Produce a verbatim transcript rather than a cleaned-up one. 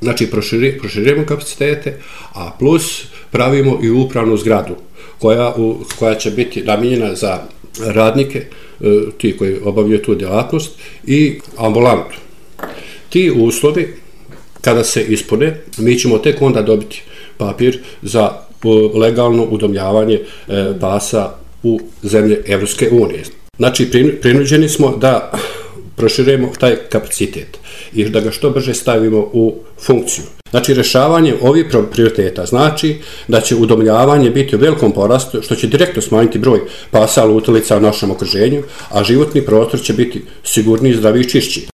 Znači proširujemo kapacitete, a plus pravimo i upravnu zgradu koja, koja će biti namijenjena za radnike, ti koji obavljaju tu djelatnost, i ambulantu. Ti uslovi, kada se ispune, mi ćemo tek onda dobiti papir za legalno udomljavanje pasa u zemlje Evropske unije. Znači, prinuđeni smo da proširujemo taj kapacitet i da ga što brže stavimo u funkciju. Znači, rješavanje ovih prioriteta znači da će udomljavanje biti u velikom porastu, što će direktno smanjiti broj pasa lutalica u našem okruženju, a životni prostor će biti sigurniji, zdraviji i čišći.